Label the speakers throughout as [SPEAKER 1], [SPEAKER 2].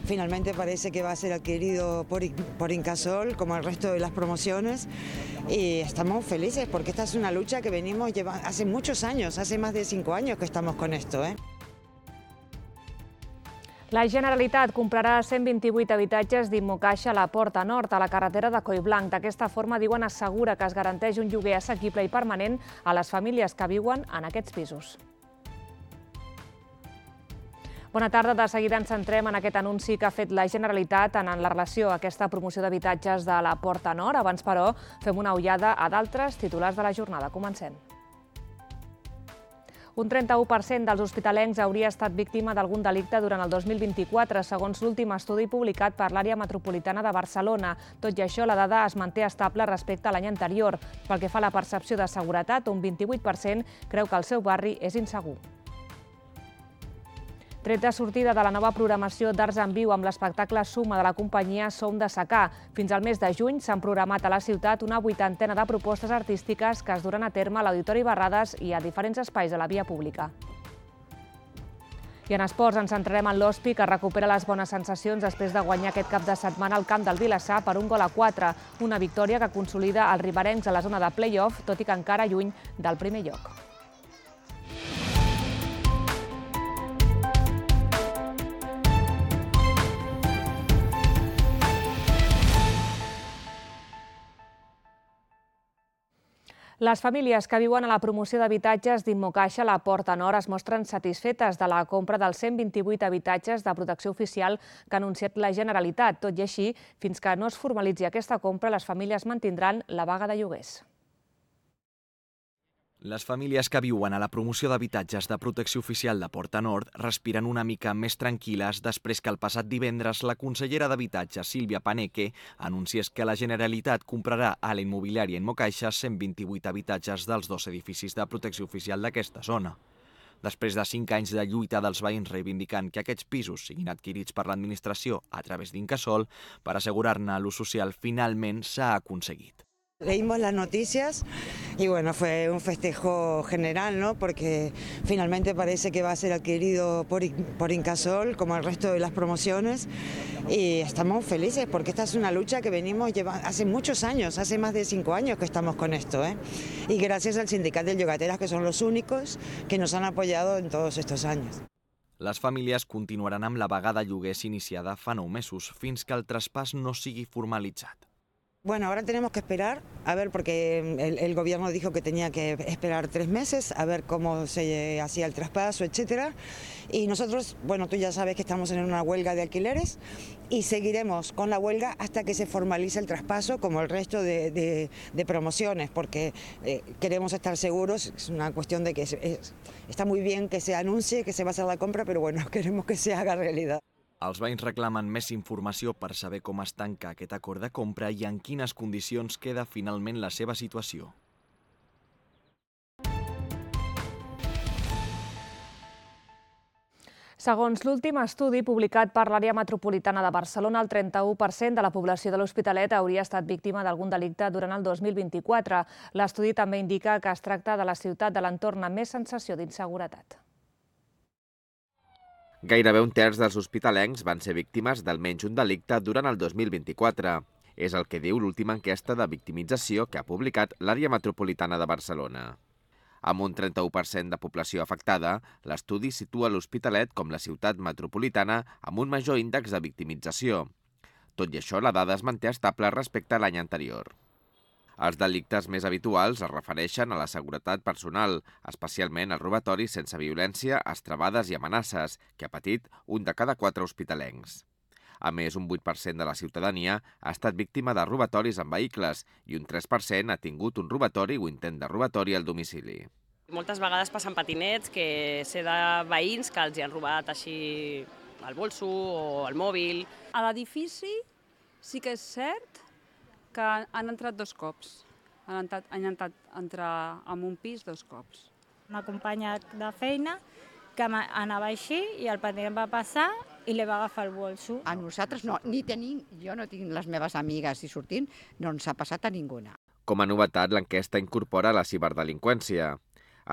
[SPEAKER 1] Finalmente parece que va a ser adquirido por Incasol, como el resto de las promociones, y estamos felices porque esta es una lucha que venimos llevando hace muchos años, hace más de 5 años que estamos con esto.
[SPEAKER 2] La Generalitat comprarà 128 habitatges d'Immocaixa a la Porta Nord, a la carretera de Collblanc. D'aquesta forma, diuen, assegura que es garanteix un lloguer assequible i permanent a les famílies que viuen en aquests pisos. Bona tarda. De seguida ens centrem en aquest anunci que ha fet la Generalitat en la relació a aquesta promoció d'habitatges de la Porta Nord. Abans, però, fem una ullada a d'altres titulars de la jornada. Comencem. Un 31% dels hospitalencs hauria estat víctima d'algun delicte durant el 2024, segons l'últim estudi publicat per l'àrea metropolitana de Barcelona. Tot i això, la dada es manté estable respecte a l'any anterior. Pel que fa a la percepció de seguretat, un 28% creu que el seu barri és insegur. Tret de sortida de la nova programació d'Arts en Viu amb l'espectacle Suma de la companyia Som de Secà. Fins al mes de juny s'han programat a la ciutat una 80ena de propostes artístiques que es duran a terme a l'Auditori Barrades i a diferents espais de la via pública. I en esports ens centrarem en l'Hospi, que recupera les bones sensacions després de guanyar aquest cap de setmana al camp del Vilassar per 1-4, una victòria que consolida els riberencs a la zona de play-off, tot i que encara lluny del primer lloc. Les famílies que viuen a la promoció d'habitatges d'Immocaixa a la Porta Nord es mostren satisfetes de la compra dels 128 habitatges de protecció oficial que ha anunciat la Generalitat. Tot i així, fins que no es formalitzi aquesta compra, les famílies mantindran la vaga de lloguers.
[SPEAKER 3] Les famílies que viuen a la promoció d'habitatges de protecció oficial de Porta Nord respiren una mica més tranquil·les després que el passat divendres la consellera d'Habitatge, Sílvia Paneque, anunciés que la Generalitat comprarà a la immobiliària Immocaixa 128 habitatges dels 2 edificis de protecció oficial d'aquesta zona. Després de 5 anys de lluita dels veïns reivindicant que aquests pisos siguin adquirits per l'administració a través d'Incasol, per assegurar-ne l'ús social, finalment s'ha aconseguit.
[SPEAKER 1] Leímos las noticias y bueno, fue un festejo general, ¿no? Porque finalmente parece que va a ser adquirido por Incasol, como el resto de las promociones, y estamos felices porque esta es una lucha que venimos llevando hace muchos años, hace más de 5 años que estamos con esto, y gracias al Sindicat de Llogateres, que son los únicos que nos han apoyado en todos estos años.
[SPEAKER 3] Les famílies continuaran amb la vaga de lloguers iniciada fa 9 mesos, fins que el traspàs no sigui formalitzat.
[SPEAKER 1] Bueno, ahora tenemos que esperar, a ver, porque el gobierno dijo que tenía que esperar 3 meses, a ver cómo se hacía el traspaso, etcétera. Y nosotros, bueno, tú ya sabes que estamos en una huelga de alquileres y seguiremos con la huelga hasta que se formalice el traspaso, como el resto de promociones, porque queremos estar seguros. Es una cuestión de que está muy bien que se anuncie que se va a hacer la compra, pero bueno, queremos que se haga realidad.
[SPEAKER 3] Els veïns reclamen més informació per saber com es tanca aquest acord de compra i en quines condicions queda finalment la seva situació.
[SPEAKER 2] Segons l'últim estudi publicat per l'àrea metropolitana de Barcelona, el 31% de la població de l'Hospitalet hauria estat víctima d'algun delicte durant el 2024. L'estudi també indica que es tracta de la ciutat de l'entorn amb més sensació d'inseguretat.
[SPEAKER 4] Gairebé un terç dels hospitalencs van ser víctimes d'almenys un delicte durant el 2024. És el que diu l'última enquesta de victimització que ha publicat l'àrea metropolitana de Barcelona. Amb un 31% de població afectada, l'estudi situa l'Hospitalet com la ciutat metropolitana amb un major índex de victimització. Tot i això, la dada es manté estable respecte a l'any anterior. Els delictes més habituals es refereixen a la seguretat personal, especialment els robatoris sense violència, estrebades i amenaces, que ha patit un de cada 4 hospitalencs. A més, un 8% de la ciutadania ha estat víctima de robatoris en vehicles i un 3% ha tingut un robatori o intent de robatori al domicili.
[SPEAKER 5] Moltes vegades passen patinets que sé de veïns que els hi han robat així el bolso o el mòbil.
[SPEAKER 6] A l'edifici sí que és cert que han entrat 2 cops. Han intentat entrar en un pis 2 cops.
[SPEAKER 7] Una companya de feina que anava així i el patinat va passar i li va agafar el bolso.
[SPEAKER 8] A nosaltres no, jo no tinc les meves amigues i sortint, no ens ha passat a ninguna.
[SPEAKER 4] Com a novetat, l'enquesta incorpora la ciberdelinqüència.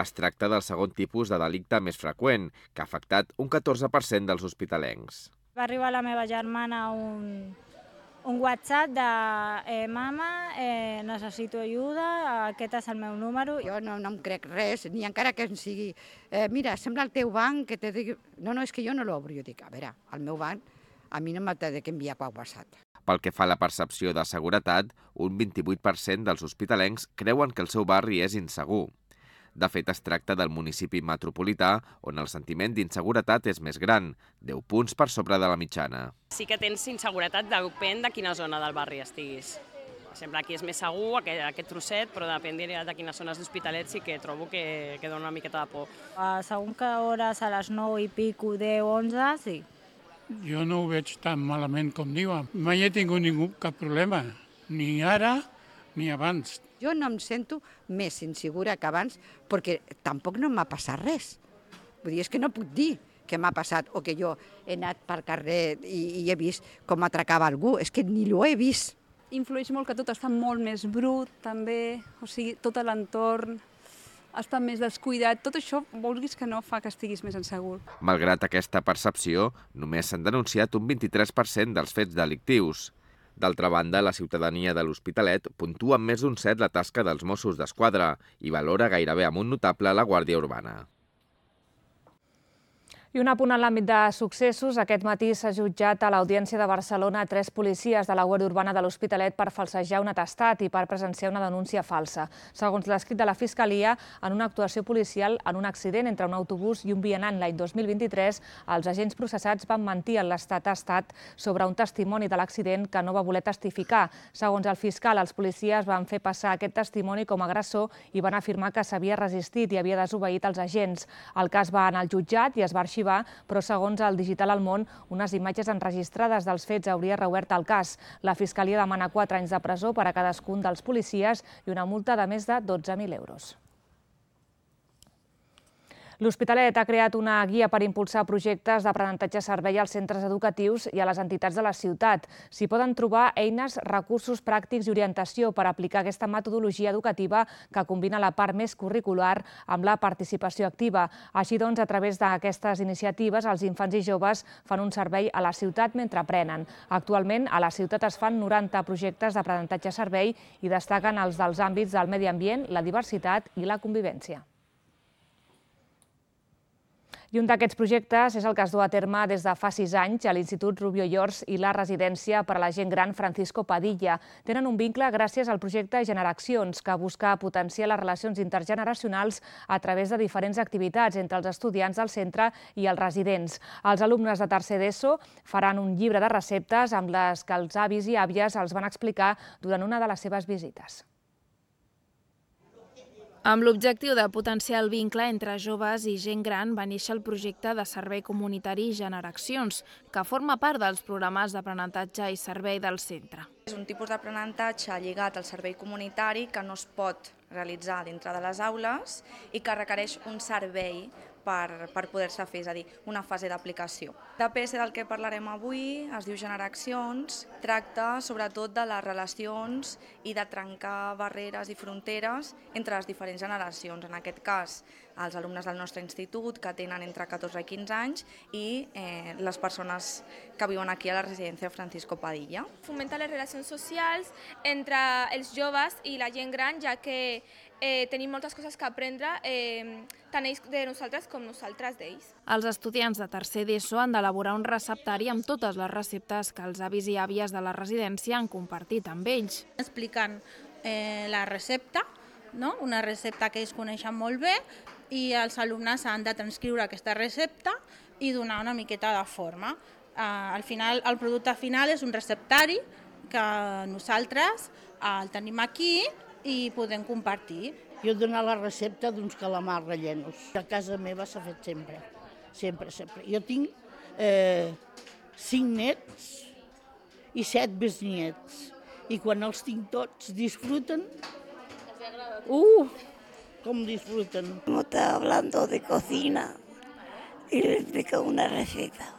[SPEAKER 4] Es tracta del segon tipus de delicte més freqüent, que ha afectat un 14% dels hospitalencs.
[SPEAKER 7] Va arribar la meva germana un WhatsApp de mama, necessito ajuda, aquest és el meu número.
[SPEAKER 8] Jo no em crec res, ni encara que em sigui mira, sembla el teu banc que te digui... No, és que jo no l'obro. Jo dic, a veure, el meu banc a mi no m'ha de que enviar per WhatsApp.
[SPEAKER 4] Pel que fa a la percepció de seguretat, un 28% dels hospitalencs creuen que el seu barri és insegur. De fet, es tracta del municipi metropolità on el sentiment d'inseguretat és més gran, 10 punts per sobre de la mitjana.
[SPEAKER 5] Sí que tens inseguretat, depèn de quina zona del barri estiguis. Per exemple, aquí és més segur, aquest trosset, però depèn de quines zones d'Hospitalet sí que trobo que dona una miqueta de por.
[SPEAKER 7] A segons que hores, a les 9 i pico, 10, 11, sí.
[SPEAKER 9] Jo no ho veig tan malament com diuen. Mai he tingut cap problema, ni ara ni abans.
[SPEAKER 8] Jo no em sento més insegura que abans perquè tampoc no m'ha passat res. Vull dir, és que no puc dir que m'ha passat o que jo he anat per carrer i he vist com atracava algú. És que ni l'ho he vist.
[SPEAKER 6] Influeix molt que tot està molt més brut, també, o sigui, tot l'entorn està més descuidat. Tot això, vulguis que no, fa que estiguis més insegur.
[SPEAKER 4] Malgrat aquesta percepció, només s'han denunciat un 23% dels fets delictius. D'altra banda, la ciutadania de l'Hospitalet puntua amb més d'un 7 la tasca dels Mossos d'Esquadra i valora gairebé amb un notable la Guàrdia Urbana.
[SPEAKER 2] I un apunt en l'àmbit de successos. Aquest matí s'ha jutjat a l'Audiència de Barcelona 3 policies de la Guàrdia Urbana de l'Hospitalet per falsejar un atestat i per presenciar una denúncia falsa. Segons l'escrit de la Fiscalia, en una actuació policial en un accident entre un autobús i un vianant l'any 2023, els agents processats van mentir en l'atestat sobre un testimoni de l'accident que no va voler testificar. Segons el fiscal, els policies van fer passar aquest testimoni com a agressor i van afirmar que s'havia resistit i havia desobeït els agents. El cas va anar al jutjat i es va arxivar, però segons el Digital al Món, unes imatges enregistrades dels fets hauria reobert el cas. La Fiscalia demana 4 anys de presó per a cadascun dels policies i una multa de més de 12.000 euros. L'Hospitalet ha creat una guia per impulsar projectes d'aprenentatge-servei als centres educatius i a les entitats de la ciutat. S'hi poden trobar eines, recursos pràctics i orientació per aplicar aquesta metodologia educativa que combina la part més curricular amb la participació activa. Així doncs, a través d'aquestes iniciatives, els infants i joves fan un servei a la ciutat mentre aprenen. Actualment, a la ciutat es fan 90 projectes d'aprenentatge-servei i destaquen els dels àmbits del medi ambient, la diversitat i la convivència. I un d'aquests projectes és el que es du a terme des de fa 6 anys a l'Institut Rubió i Ors i la residència per a la gent gran Francisco Padilla. Tenen un vincle gràcies al projecte Generacions, que busca potenciar les relacions intergeneracionals a través de diferents activitats entre els estudiants del centre i els residents. Els alumnes de tercer d'ESO faran un llibre de receptes amb les que els avis i àvies els van explicar durant una de les seves visites.
[SPEAKER 10] Amb l'objectiu de potenciar el vincle entre joves i gent gran va néixer el projecte de servei comunitari Generacions, que forma part dels programes d'aprenentatge i servei del centre.
[SPEAKER 11] És un tipus d'aprenentatge lligat al servei comunitari que no es pot realitzar dintre de les aules i que requereix un servei per poder-se fer, és a dir, una fase d'aplicació. L'APS del que parlarem avui es diu Generacions, tracta sobretot de les relacions i de trencar barreres i fronteres entre les diferents generacions. En aquest cas, els alumnes del nostre institut, que tenen entre 14 i 15 anys, i les persones que viuen aquí a la residència Francisco Padilla.
[SPEAKER 12] Fomenta les relacions socials entre els joves i la gent gran, ja que tenim moltes coses que aprendre, tant ells de nosaltres com nosaltres d'ells.
[SPEAKER 10] Els estudiants de tercer d'ESO han d'elaborar un receptari amb totes les receptes que els avis i àvies de la residència han compartit amb ells.
[SPEAKER 13] Explicant la recepta, una recepta que ells coneixen molt bé, i els alumnes han de transcriure aquesta recepta i donar una miqueta de forma. Al final, el producte final és un receptari que nosaltres el tenim aquí i podem compartir.
[SPEAKER 14] Jo he donat la recepta d'uns calamars rellenos. A casa meva s'ha fet sempre, sempre. Jo tinc 5 nets i 7 besniets. I quan els tinc tots disfruten. Com disfruten.
[SPEAKER 15] Estaba hablando de cocina y le explico una receta.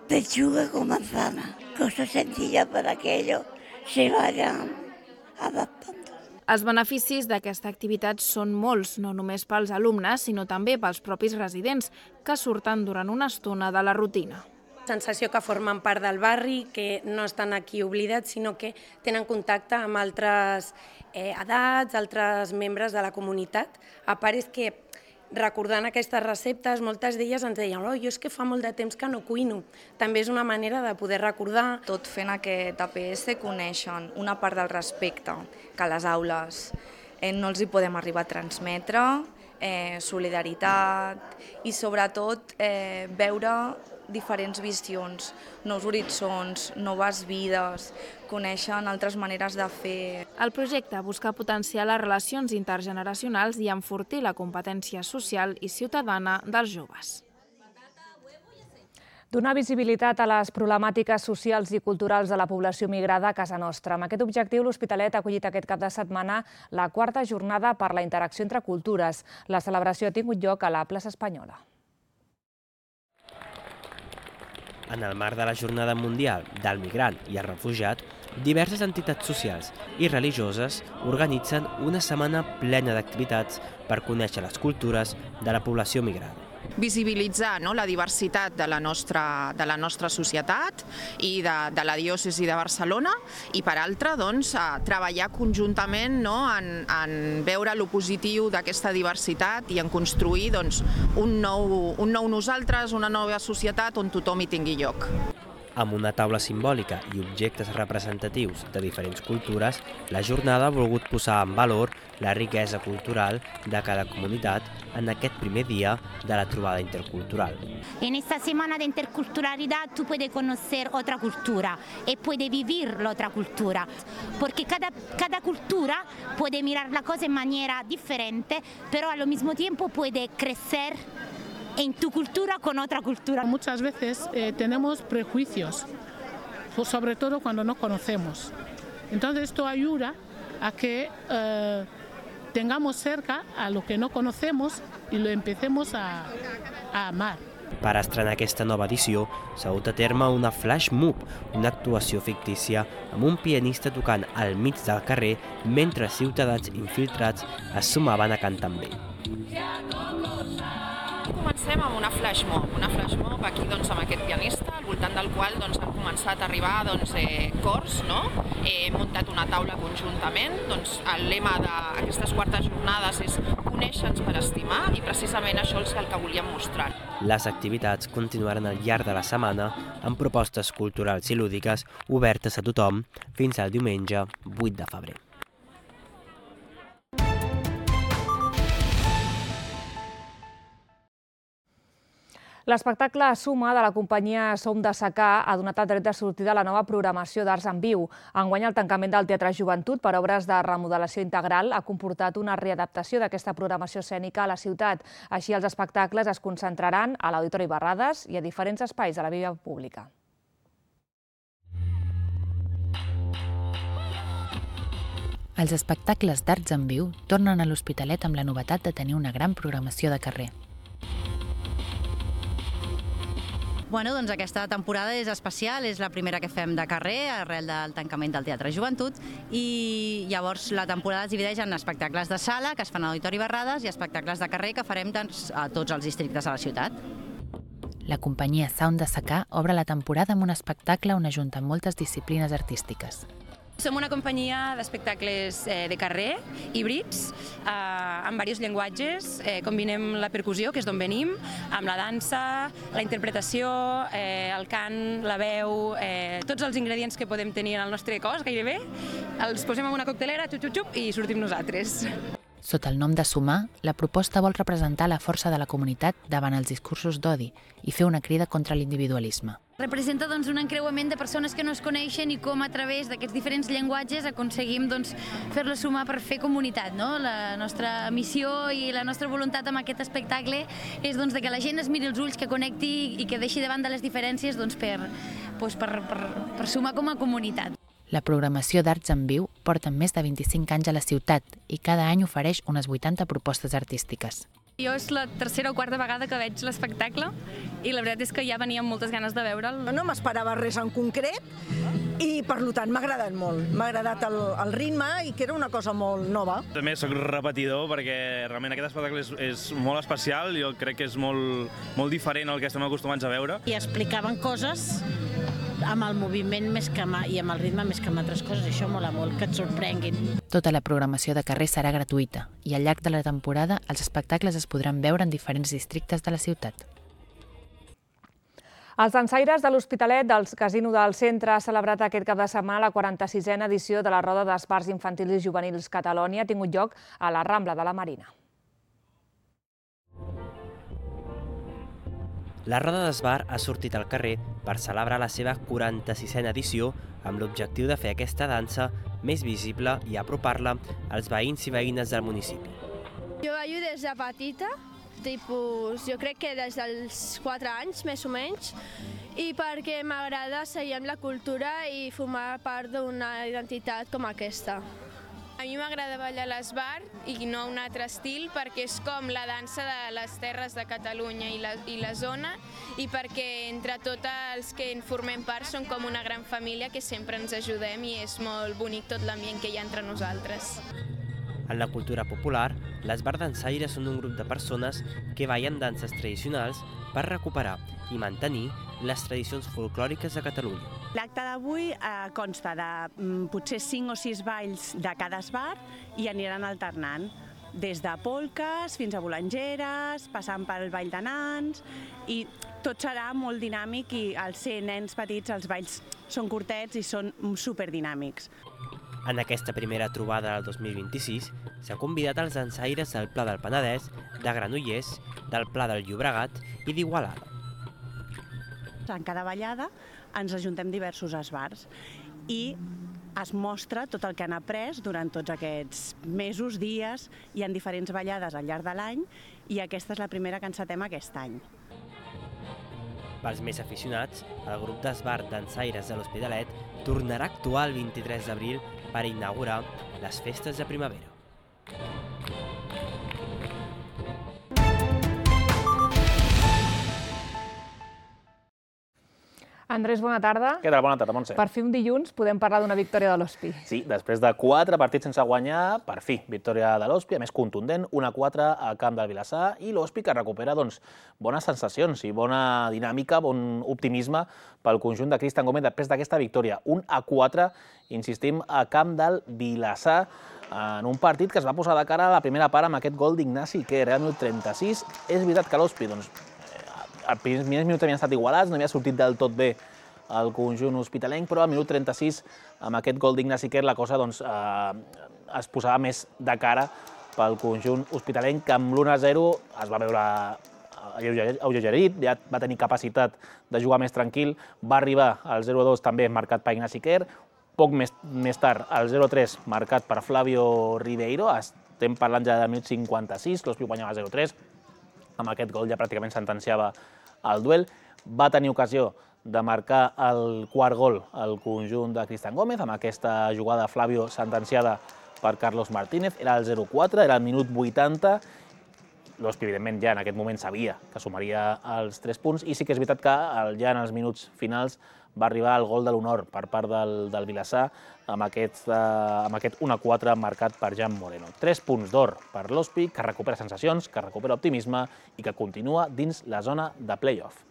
[SPEAKER 15] Pechuga con manzana, cosa sencilla para que ellos se vayan adaptando.
[SPEAKER 10] Els beneficis d'aquesta activitat són molts, no només pels alumnes, sinó també pels propis residents, que surten durant una estona de la rutina.
[SPEAKER 16] Sensació que formen part del barri, que no estan aquí oblidats, sinó que tenen contacte amb altres edats, altres membres de la comunitat. A part és que recordant aquestes receptes, moltes d'elles ens deien jo és que fa molt de temps que no cuino. També és una manera de poder recordar.
[SPEAKER 11] Tot fent aquest APS coneixen una part del respecte que a les aules no els hi podem arribar a transmetre, solidaritat i sobretot veure diferents visions, nous horitzons, noves vides, coneixen altres maneres de fer.
[SPEAKER 10] El projecte busca potenciar les relacions intergeneracionals i enfortir la competència social i ciutadana dels joves.
[SPEAKER 2] Donar visibilitat a les problemàtiques socials i culturals de la població migrada a casa nostra. Amb aquest objectiu, l'Hospitalet ha acollit aquest cap de setmana la 4a jornada per la interacció entre cultures. La celebració ha tingut lloc a la plaça Espanyola.
[SPEAKER 17] En el marc de la Jornada Mundial del Migrant i el Refugiat, diverses entitats socials i religioses organitzen una setmana plena d'activitats per conèixer les cultures de la població migrada.
[SPEAKER 18] Visibilitzar la diversitat de la nostra societat i de la diòcesi de Barcelona i, per altra, treballar conjuntament en veure lo positiu d'aquesta diversitat i en construir un nou nosaltres, una nova societat on tothom hi tingui lloc.
[SPEAKER 17] Amb una taula simbòlica i objectes representatius de diferents cultures, la jornada ha volgut posar en valor la riquesa cultural de cada comunitat en aquest primer dia de la trobada intercultural.
[SPEAKER 19] En esta semana de interculturalidad tú puedes conocer otra cultura y puedes vivir la otra cultura, porque cada cultura puede mirar la cosa de manera diferente, pero al mismo tiempo puede crecer en tu cultura con otra cultura.
[SPEAKER 20] Muchas veces tenemos prejuicios, sobre todo cuando no conocemos. Entonces esto ayuda a que tengamos cerca a lo que no conocemos y lo empecemos a amar.
[SPEAKER 17] Per estrenar aquesta nova edició s'ha dut a terme una flash mob, una actuació fictícia amb un pianista tocant al mig del carrer mentre ciutadans infiltrats es sumaven a cantar amb ell.
[SPEAKER 18] Comencem amb una flash mob aquí amb aquest pianista, al voltant del qual han començat a arribar cors. Hem muntat una taula conjuntament. El lema d'aquestes 4 jornades és conèixer-nos per estimar i precisament això és el que volíem mostrar.
[SPEAKER 17] Les activitats continuaran al llarg de la setmana amb propostes culturals i lúdiques obertes a tothom fins al diumenge 8 de febrer.
[SPEAKER 2] L'espectacle Suma de la companyia Som de Secà ha donat el dret de sortida a la nova programació d'Arts en Viu. Enguany el tancament del Teatre Joventut per obres de remodelació integral ha comportat una readaptació d'aquesta programació escènica a la ciutat. Així els espectacles es concentraran a l'Auditori Barrades i a diferents espais de la via pública.
[SPEAKER 21] Els espectacles d'Arts en Viu tornen a l'Hospitalet amb la novetat de tenir una gran programació de carrer.
[SPEAKER 22] Aquesta temporada és especial, és la primera que fem de carrer arrel del tancament del Teatre Joventut i llavors la temporada es divideix en espectacles de sala que es fan a l'Auditori Barrades i espectacles de carrer que farem a tots els districtes de la ciutat.
[SPEAKER 21] La companyia Sound de Secà obre la temporada amb un espectacle on ajunten moltes disciplines artístiques.
[SPEAKER 23] Som una companyia d'espectacles de carrer, híbrids, amb diversos llenguatges. Combinem la percussió, que és d'on venim, amb la dansa, la interpretació, el cant, la veu, tots els ingredients que podem tenir en el nostre cos, gairebé, els posem en una coctelera, xup-xup-xup, i sortim nosaltres.
[SPEAKER 21] Sota el nom de Sumar, la proposta vol representar la força de la comunitat davant els discursos d'odi i fer una crida contra l'individualisme.
[SPEAKER 24] Representa un encreuament de persones que no es coneixen i com a través d'aquests diferents llenguatges aconseguim fer-los sumar per fer comunitat. La nostra missió i la nostra voluntat amb aquest espectacle és que la gent es miri els ulls, que connecti i que deixi de banda les diferències per sumar com a comunitat.
[SPEAKER 21] La programació d'Arts en Viu porta més de 25 anys a la ciutat i cada any ofereix unes 80 propostes artístiques.
[SPEAKER 23] Jo és la tercera o quarta vegada que veig l'espectacle i la veritat és que ja venia amb moltes ganes de veure'l.
[SPEAKER 1] No m'esperava res en concret i per tant m'ha agradat molt. M'ha agradat el ritme i que era una cosa molt nova.
[SPEAKER 3] També soc repetidor perquè realment aquest espectacle és molt especial, jo crec que és molt diferent al que estem acostumats a veure.
[SPEAKER 14] I explicaven coses amb el moviment i amb el ritme més que amb altres coses, i això mola molt, que et sorprenguin.
[SPEAKER 21] Tota la programació de carrer serà gratuïta i al llarg de la temporada els espectacles es podran veure en diferents districtes de la ciutat.
[SPEAKER 2] Els dansaires de l'Hospitalet del Casino del Centre ha celebrat aquest cap de setmana la 46a edició de la Roda d'Esbarts Infantils i Juvenils Catalònia, ha tingut lloc a la Rambla de la Marina.
[SPEAKER 17] La Roda d'Esbar ha sortit al carrer per celebrar la seva 46a edició amb l'objectiu de fer aquesta dansa més visible i apropar-la als veïns i veïnes del municipi.
[SPEAKER 5] Jo ballo des de petita, jo crec que des dels 4 anys, més o menys, i perquè m'agrada seguir amb la cultura i formar part d'una identitat com aquesta.
[SPEAKER 12] A mi m'agrada ballar l'esbar i no un altre estil perquè és com la dansa de les terres de Catalunya i la zona i perquè entre tots els que en formem part som com una gran família que sempre ens ajudem i és molt bonic tot l'ambient que hi ha entre nosaltres.
[SPEAKER 17] En la cultura popular, les bar dansaires són un grup de persones que ballen danses tradicionals per recuperar i mantenir les tradicions folclòriques de Catalunya.
[SPEAKER 7] L'acte d'avui consta de potser 5 o 6 balls de cada esbar i aniran alternant, des de polques fins a bolangeres, passant pel ball de nans, i tot serà molt dinàmic i al ser nens petits els balls són curtets i són superdinàmics.
[SPEAKER 17] En aquesta primera trobada del 2026 s'ha convidat els dansaires del Pla del Penedès, de Granollers, del Pla del Llobregat i d'Igualada.
[SPEAKER 7] En cada ballada ens ajuntem diversos esbars i es mostra tot el que han après durant tots aquests mesos, dies, hi ha diferents ballades al llarg de l'any i aquesta és la primera que encetem aquest any.
[SPEAKER 17] Pels més aficionats, el grup d'esbar dansaires de l'Hospitalet tornarà a actuar el 23 d'abril per inaugurar les festes de primavera.
[SPEAKER 2] Andrés, bona tarda.
[SPEAKER 25] Què tal? Bona tarda, Montse.
[SPEAKER 2] Per fi un dilluns podem parlar d'una victòria de l'Hospi.
[SPEAKER 25] Sí, després de 4 partits sense guanyar, per fi, victòria de l'Hospi, a més contundent, 1-4 al camp del Vilassar, i l'Hospi que recupera bones sensacions i bona dinàmica, bon optimisme pel conjunt de Cristian Gómez després d'aquesta victòria. 1-4, insistim, a camp del Vilassar, en un partit que es va posar de cara a la primera part amb aquest gol d'Ignasi Quer, al minut 36. És veritat que l'Hospi, els primers minuts havien estat igualats, no havia sortit del tot bé el conjunt hospitalenc, però al minut 36, amb aquest gol d'Ignasi Quer, la cosa es posava més de cara pel conjunt hospitalenc, que amb l'1-0 es va veure alleugerit, ja va tenir capacitat de jugar més tranquil, va arribar al 0-2 també marcat per Ignasi Quer, poc més tard el 0-3 marcat per Flavio Ribeiro, estem parlant ja del minut 56, l'Hospi guanyava 0-3, amb aquest gol ja pràcticament sentenciava el duel. Va tenir ocasió de marcar el quart gol al conjunt de Cristian Gómez, amb aquesta jugada Flavio sentenciada per Carlos Martínez. Era el 0-4, era el minut 80. L'Hospi, evidentment, ja en aquest moment sabia que sumaria els 3 punts, i sí que és veritat que ja en els minuts finals va arribar el gol de l'honor per part del Vilassar, amb aquest 1-4 marcat per Jan Moreno. 3 punts d'or per l'Hospi, que recupera sensacions, que recupera optimisme i que continua dins la zona de play-off.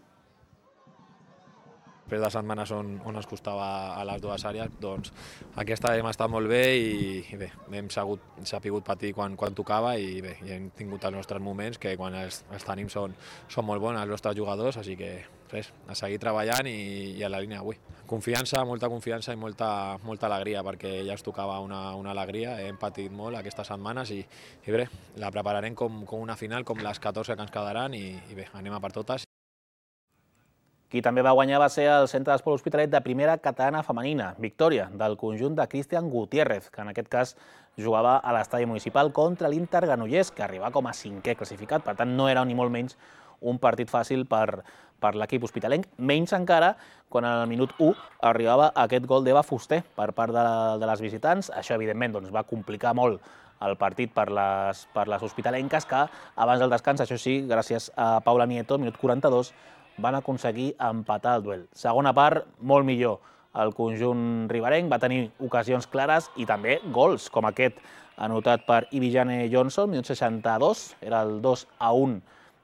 [SPEAKER 26] Després de setmanes on es costava a les dues àrees, doncs aquesta hem estat molt bé i bé, hem sabut patir quan tocava i bé, hem tingut els nostres moments que quan els tenim són molt bons els nostres jugadors, així que res, a seguir treballant i a la línia avui. Confiança, molta confiança i molta alegria, perquè ja es tocava una alegria, hem patit molt aquestes setmanes i bé, la prepararem com una final, com les 14 que ens quedaran i bé, anem a per totes.
[SPEAKER 25] Qui també va guanyar va ser el Centre d'Esport Hospitalet de primera catalana femenina, victòria del conjunt de Cristian Gutiérrez, que en aquest cas jugava a l'estadi municipal contra l'Inter Granollers, que arribava com a 5è classificat, per tant no era ni molt menys un partit fàcil per per l'equip hospitalenc, menys encara quan al minut 1 arribava aquest gol d'Eva Fuster per part de les visitants. Això, evidentment, va complicar molt el partit per les hospitalenques, que abans del descans, això sí, gràcies a Paula Nieto, minut 42, van aconseguir empatar el duel. Segona part, molt millor. El conjunt riberenc va tenir ocasions clares i també gols, com aquest anotat per Ivijane Johnson, minut 62, era el 2-1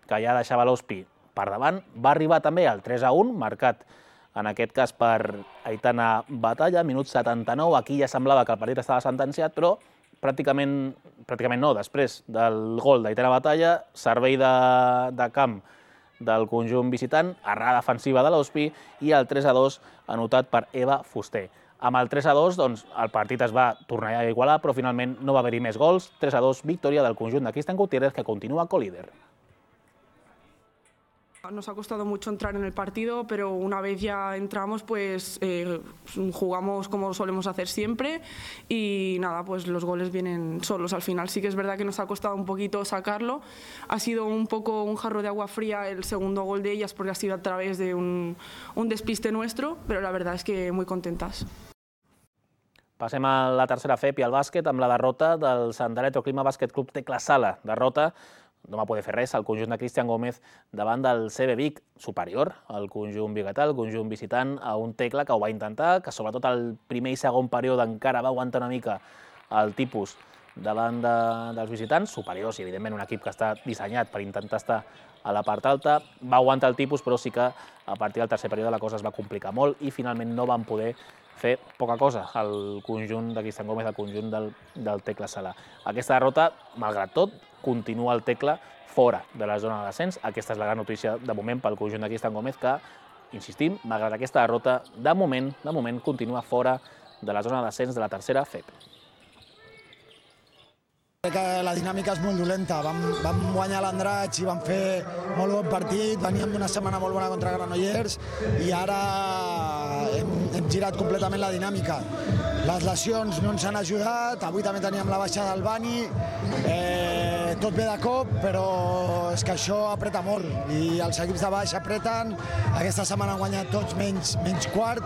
[SPEAKER 25] que ja deixava l'Hospi per davant. Va arribar també el 3-1, marcat en aquest cas per Aitana Batalla, minut 79. Aquí ja semblava que el partit estava sentenciat, però pràcticament no. Després del gol d'Aitana Batalla, servei de camp del conjunt visitant, errada defensiva de l'Hospi i el 3-2 anotat per Eva Fuster. Amb el 3-2 el partit es va tornar a igualar, però finalment no va haver-hi més gols. 3-2, victòria del conjunt de Cristian Gutiérrez, que continua co-líder.
[SPEAKER 4] Nos ha costado mucho entrar en el partido, pero una vez ya entramos, pues jugamos como solemos hacer siempre y nada, pues los goles vienen solos al final. Sí que es verdad que nos ha costado un poquito sacarlo. Ha sido un poco un jarro de agua fría el segundo gol de ellas porque ha sido a través de un despiste nuestro, pero la verdad es que muy contentas.
[SPEAKER 25] Passem a la tercera FEP i al bàsquet amb la derrota del Sandaletro Clima Bàsquet Club Tecla Sala. Derrota, no va poder fer res, el conjunt de Cristian Gómez davant del CB Vic, superior al conjunt biguetà, el conjunt visitant, a un Tecla que ho va intentar, que sobretot al primer i segon període encara va aguantar una mica el tipus davant dels visitants, superiors i evidentment un equip que està dissenyat per intentar estar a la part alta. Va aguantar el tipus, però sí que a partir del tercer període la cosa es va complicar molt i finalment no van poder fer poca cosa al conjunt de Cristian Gómez, al conjunt del Tecla Sala. Aquesta derrota, malgrat tot, continua el Tecla fora de la zona de descens. Aquesta és la gran notícia de moment pel conjunt de Cristian Gómez, que, insistim, malgrat aquesta derrota, de moment continua fora de la zona de descens de la tercera FEP.
[SPEAKER 6] Crec que la dinàmica és molt dolenta. Vam guanyar l'Andratx i vam fer molt bon partit, veníem d'una setmana molt bona contra Granollers i ara hem girat completament la dinàmica. Les lesions no ens han ajudat, avui també teníem la baixa del Bani, tot ve de cop, però és que això apreta molt i els equips de baix apreten. Aquesta setmana han guanyat tots menys quart.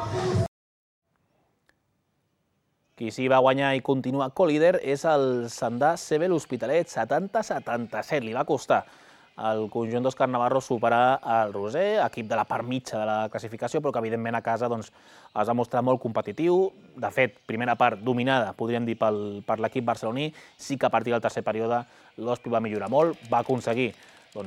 [SPEAKER 25] Qui sí va guanyar i continua co-líder és el Sandà CB l'Hospitalet, 70-77. Li va costar al conjunt d'Òscar Navarro superar el Roser, equip de la part mitja de la classificació, però que evidentment a casa es va mostrar molt competitiu. De fet, primera part dominada, podríem dir, per l'equip barceloní. Sí que a partir del tercer període l'Hospi va millorar molt, va aconseguir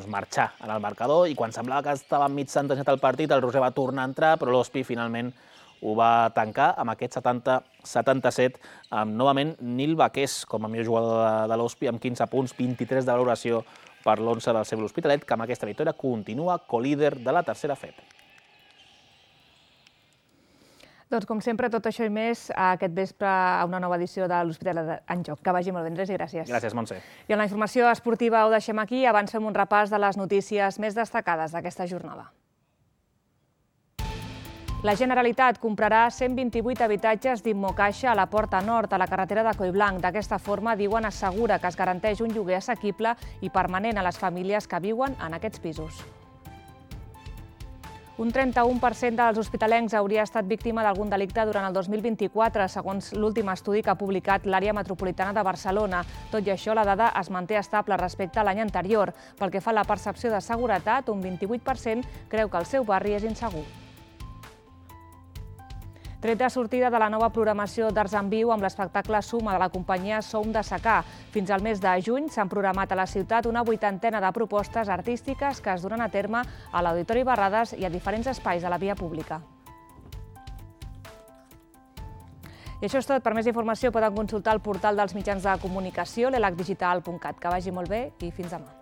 [SPEAKER 25] marxar en el marcador i quan semblava que estava mig sentenciat el partit, el Roser va tornar a entrar, però l'Hospi finalment ho va tancar amb aquest 70-77, amb novament Nil Baqués com a millor jugador de l'Hospi, amb 15 punts, 23 de valoració per l'11 del CB l'Hospitalet, que amb aquesta victòria continua co-líder de la tercera FEP.
[SPEAKER 2] Doncs, com sempre, tot això i més aquest vespre a una nova edició de l'Hospitalet en Joc. Que vagi molt bé, Andrés, i gràcies.
[SPEAKER 25] Gràcies, Montse.
[SPEAKER 2] I en la informació esportiva ho deixem aquí. Abans fem un repàs de les notícies més destacades d'aquesta jornada. La Generalitat comprarà 128 habitatges d'Immocaixa a la Porta Nord, a la carretera de Collblanc. D'aquesta forma, diuen, assegura que es garanteix un lloguer assequible i permanent a les famílies que viuen en aquests pisos. Un 31% dels hospitalencs hauria estat víctima d'algun delicte durant el 2024, segons l'últim estudi que ha publicat l'àrea metropolitana de Barcelona. Tot i això, la dada es manté estable respecte a l'any anterior. Pel que fa a la percepció de seguretat, un 28% creu que el seu barri és insegur. Tret de sortida de la nova programació d'Arts en Viu amb l'espectacle Suma de la companyia Som de Secà. Fins al mes de juny s'han programat a la ciutat una 80ena de propostes artístiques que es duran a terme a l'Auditori Barrades i a diferents espais de la via pública. I això és tot. Per més informació poden consultar el portal dels mitjans de comunicació, l'elacdigital.cat. Que vagi molt bé i fins demà.